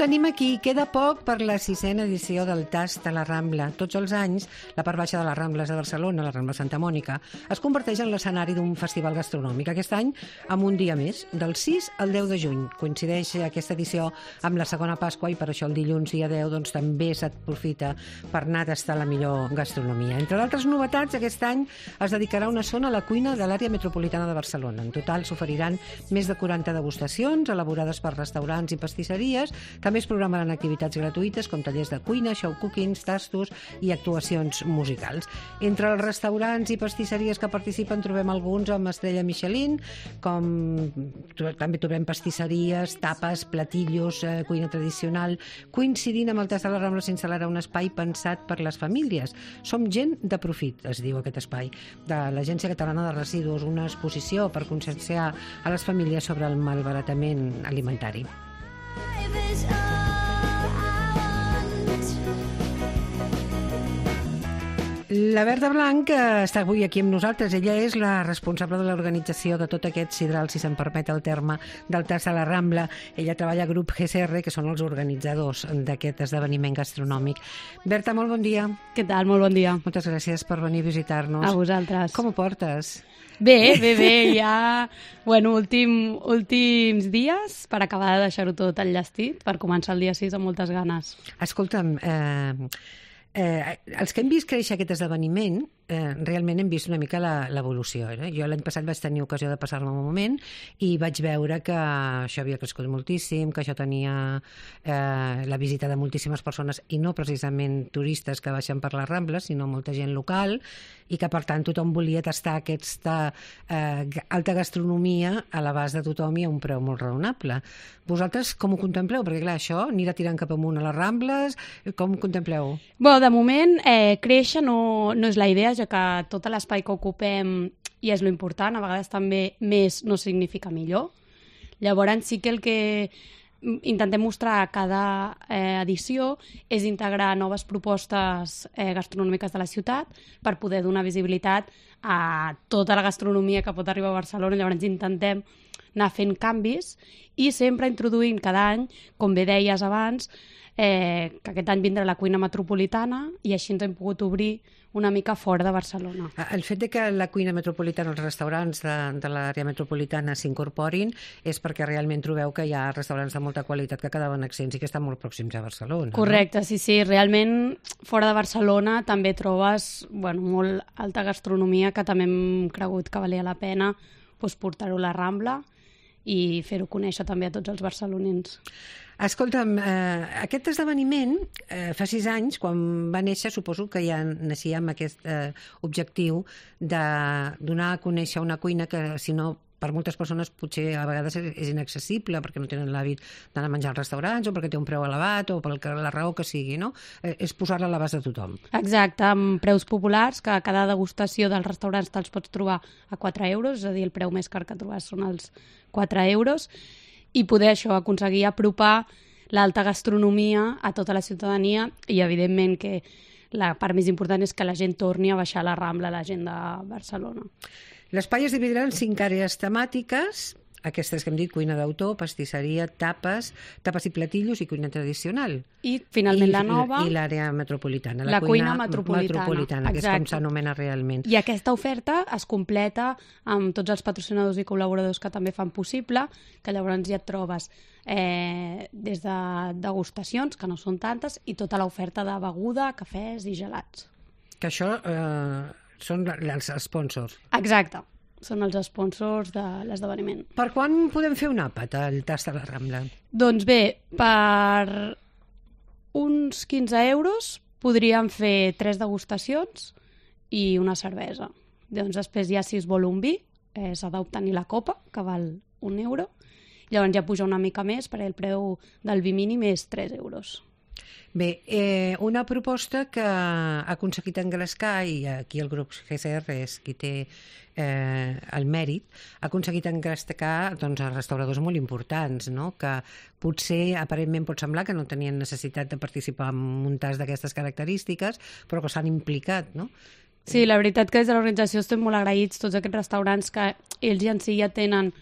tenim aquí. Queda poc per la 6ª edició del Tast a la Rambla. Tots els anys, la part baixa de les Rambles de Barcelona, la Rambla Santa Mònica, es converteix en l'escenari d'un festival gastronòmic. Aquest any, amb un dia més, del 6 al 10 de juny. Coincideix aquesta edició amb la segona Pasqua i per això el dilluns dia 10 doncs, també s'aprofita per anar a tastar la millor gastronomia. Entre d'altres novetats, aquest any es dedicarà una zona a la cuina de l'àrea metropolitana de Barcelona. En total s'oferiran més de 40 degustacions elaborades per restaurants i pastisseries. També es programaran activitats gratuïtes com tallers de cuina, show cookings, tastos i actuacions musicals. Entre els restaurants i pastisseries que participen trobem alguns amb estrella Michelin, també trobem pastisseries, tapes, platillos, cuina tradicional. Coincidint amb el Tast de la Rambla s'instal·larà un espai pensat per les famílies. Som gent de profit, es diu aquest espai, de l'Agència Catalana de Residus, una exposició per conscienciar a les famílies sobre el malbaratament alimentari. La Berta Blanc està avui aquí amb nosaltres. Ella és la responsable de l'organització de tot aquest sidral, si se'n permet el terme, del Tast de la Rambla. Ella treballa a Grup GCR, que són els organitzadors d'aquest esdeveniment gastronòmic. Berta, molt bon dia. Què tal? Molt bon dia. Moltes gràcies per venir a visitar-nos. A vosaltres. Com ho portes? Bé, ja... Bueno, últims dies per acabar de deixar-ho tot enllestit, per començar el dia 6 amb moltes ganes. Escolta'm, els que hem vist créixer aquest esdeveniment realment hem vist una mica l'evolució. Jo l'any passat vaig tenir ocasió de passar-me un moment i vaig veure que això havia crescut moltíssim, que això tenia la visita de moltíssimes persones i no precisament turistes que baixen per les Rambles, sinó molta gent local, i que per tant tothom volia tastar aquesta alta gastronomia a l'abast de tothom i a un preu molt raonable. Vosaltres com ho contempleu? Perquè clar, això anirà tirant cap amunt a les Rambles, com ho contempleu? Bé, de moment créixer no és la idea, ja que tot l'espai que ocupem i és lo important, a vegades també més no significa millor. Llavors sí que el que intentem mostrar a cada edició és integrar noves propostes gastronòmiques de la ciutat per poder donar visibilitat a tota la gastronomia que pot arribar a Barcelona. Llavors intentem anar fent canvis i sempre introduint cada any, com bé deies abans, que aquest any vindrà la cuina metropolitana i així ens hem pogut obrir una mica fora de Barcelona. El fet de que la cuina metropolitana, els restaurants de l'àrea metropolitana s'incorporin és perquè realment trobeu que hi ha restaurants de molta qualitat que quedaven accents i que estan molt pròxims a Barcelona. Correcte, no? Sí. Realment fora de Barcelona també trobes molt alta gastronomia que també hem cregut que valia la pena portar-ho a la Rambla i fer-ho conèixer també a tots els barcelonins. Escolta'm, aquest esdeveniment fa 6 anys, quan va néixer, suposo que ja naixia amb aquest objectiu de donar a conèixer una cuina que, si no, per moltes persones potser a vegades és inaccessible perquè no tenen l'hàbit d'anar a menjar als restaurants o perquè té un preu elevat o per la raó que sigui, no? És posar-la a l'abast de tothom. Exacte, amb preus populars, que cada degustació dels restaurants te'ls pots trobar a 4 euros, és a dir, el preu més car que trobes són els 4 euros, i poder aconseguir apropar l'alta gastronomia a tota la ciutadania i, evidentment, que la part més important és que la gent torni a baixar a la Rambla, la gent de Barcelona. L'espai es dividirà en 5 àrees temàtiques, aquestes que hem dit, cuina d'autor, pastisseria, tapes i platillos i cuina tradicional. I, finalment, la nova... I l'àrea metropolitana. La cuina metropolitana, que és com s'anomena realment. I aquesta oferta es completa amb tots els patrocinadors i col·laboradors que també fan possible, que llavors ja et trobes des de degustacions, que no són tantes, i tota l'oferta de beguda, cafès i gelats. Que això són els sponsors. Exacte. Són els sponsors de l'esdeveniment. Per quan podem fer un àpat al Tast de la Rambla? Doncs bé, per uns 15 euros podríem fer 3 degustacions i una cervesa. Doncs després ja, si es vol un vi, s'ha d'obtenir la copa, que val 1 euro. Llavors ja puja una mica més, perquè el preu del vi mínim és 3 euros. Bé, una proposta que ha aconseguit engrescar, i aquí el grup GCR és qui té el mèrit, ha aconseguit engrescar restauradors molt importants, no? Que potser aparentment pot semblar que no tenien necessitat de participar en un tast d'aquestes característiques, però que s'han implicat, no? Sí, la veritat que des de l'organització estem molt agraïts, tots aquests restaurants que ells en si ja tenen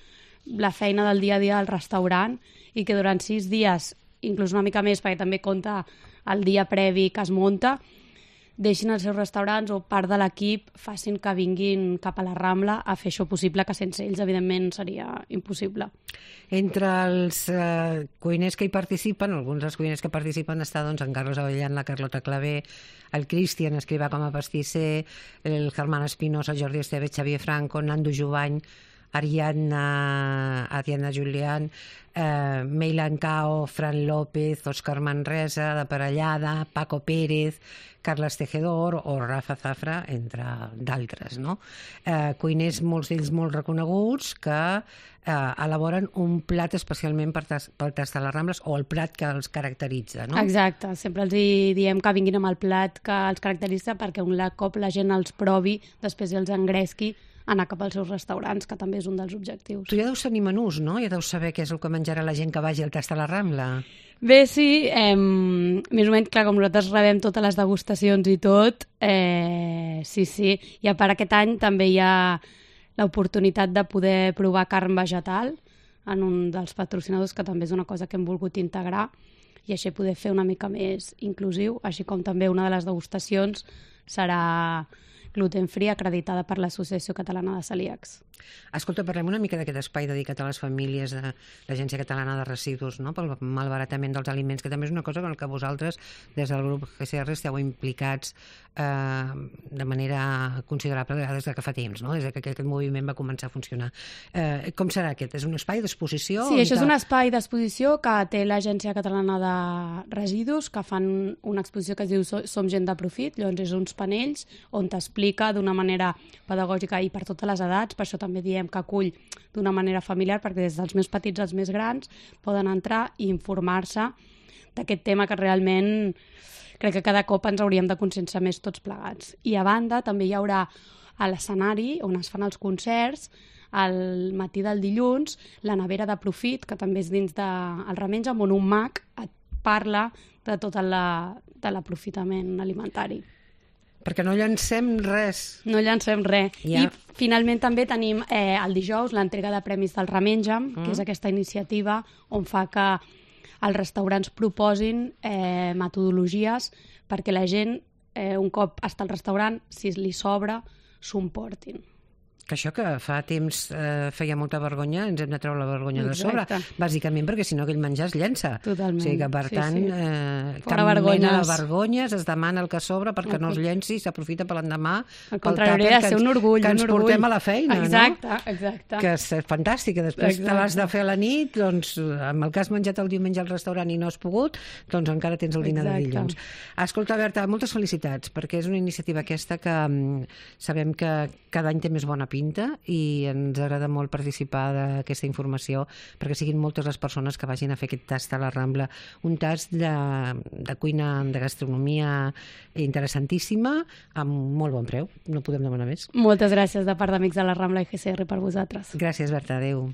la feina del dia a dia al restaurant i que durant 6 dies inclús una mica més, perquè també compta el dia previ que es munta, deixin els seus restaurants o part de l'equip facin que vinguin cap a la Rambla a fer això possible, que sense ells, evidentment, seria impossible. Entre els cuiners que hi participen, alguns dels cuiners que participen està doncs, en Carlos Avellan, la Carlota Clavé, el Cristian Escrivà com a pastisser, el Germán Espinosa, el Jordi Esteve, Xavier Franco, Nando Jubany, Ariadna Julián, Meilan Cao, Fran López, Òscar Manresa, de Parellada, Paco Pérez, Carles Tejedor o Rafa Zafra, entre d'altres, no? Cuiners, molts d'ells molt reconeguts, que elaboren un plat especialment pel tast de les Rambles o el plat que els caracteritza, no? Exacte, sempre els diem que vinguin amb el plat que els caracteritza perquè un cop la gent els provi, després els engresqui anar cap als seus restaurants, que també és un dels objectius. Tu ja deus tenir menús, no? Ja deus saber què és el que menjarà la gent que vagi al tast a la Rambla. Bé, sí, més o menys, clar, com nosaltres rebem totes les degustacions i tot, sí. I a part aquest any també hi ha l'oportunitat de poder provar carn vegetal en un dels patrocinadors, que també és una cosa que hem volgut integrar i així poder fer una mica més inclusiu, així com també una de les degustacions serà gluten-free acreditada per l'Associació Catalana de Celíacs. Escolta, parlem una mica d'aquest espai dedicat a les famílies de l'Agència Catalana de Residus, no? Pel malbaratament dels aliments, que també és una cosa en què vosaltres, des del grup GCR, esteu implicats de manera considerable des de que fa temps, no? Des que aquest moviment va començar a funcionar. Com serà aquest? És un espai d'exposició? Sí, això és un espai d'exposició que té l'Agència Catalana de Residus, que fan una exposició que es diu Som gent de profit, llavors és uns panells on t'explica d'una manera pedagògica i per totes les edats, per això també diem que acull d'una manera familiar, perquè des dels més petits als més grans poden entrar i informar-se d'aquest tema que realment crec que cada cop ens hauríem de conscienciar més tots plegats. I a banda també hi haurà a l'escenari on es fan els concerts, al matí del dilluns, la nevera de profit, que també és dins del Remenja, on un mag et parla de tot l'aprofitament alimentari. Perquè no llancem res. No llancem res. Ja. I finalment també tenim el dijous l'entrega de premis del Remenja, que és aquesta iniciativa on fa que els restaurants proposin metodologies perquè la gent, un cop està al restaurant, si li sobra, s'ho emportin. Que això que fa temps feia molta vergonya, ens hem de treure la vergonya de sobre, bàsicament perquè si no aquell menjar es llença. Totalment. O sigui que, per tant, cap mena de vergonyes, es demana el que sobra perquè no es llenci i s'aprofita per l'endemà. Al contrari, hauria de ser un orgull. Que ens portem a la feina, exacte, no? Exacte. Que és fantàstic, que després te l'has de fer a la nit, doncs, amb el que has menjat el diumenge al restaurant i no has pogut, doncs encara tens el dinar de dilluns. Escolta, Berta, moltes felicitats, perquè és una iniciativa aquesta que sabem que cada any té més bona pinta i ens agrada molt participar d'aquesta informació perquè siguin moltes les persones que vagin a fer aquest tast a la Rambla. Un tast de cuina, de gastronomia interessantíssima, amb molt bon preu. No podem demanar més. Moltes gràcies de part d'Amics de la Rambla i GCR per vosaltres. Gràcies, Berta. Adéu.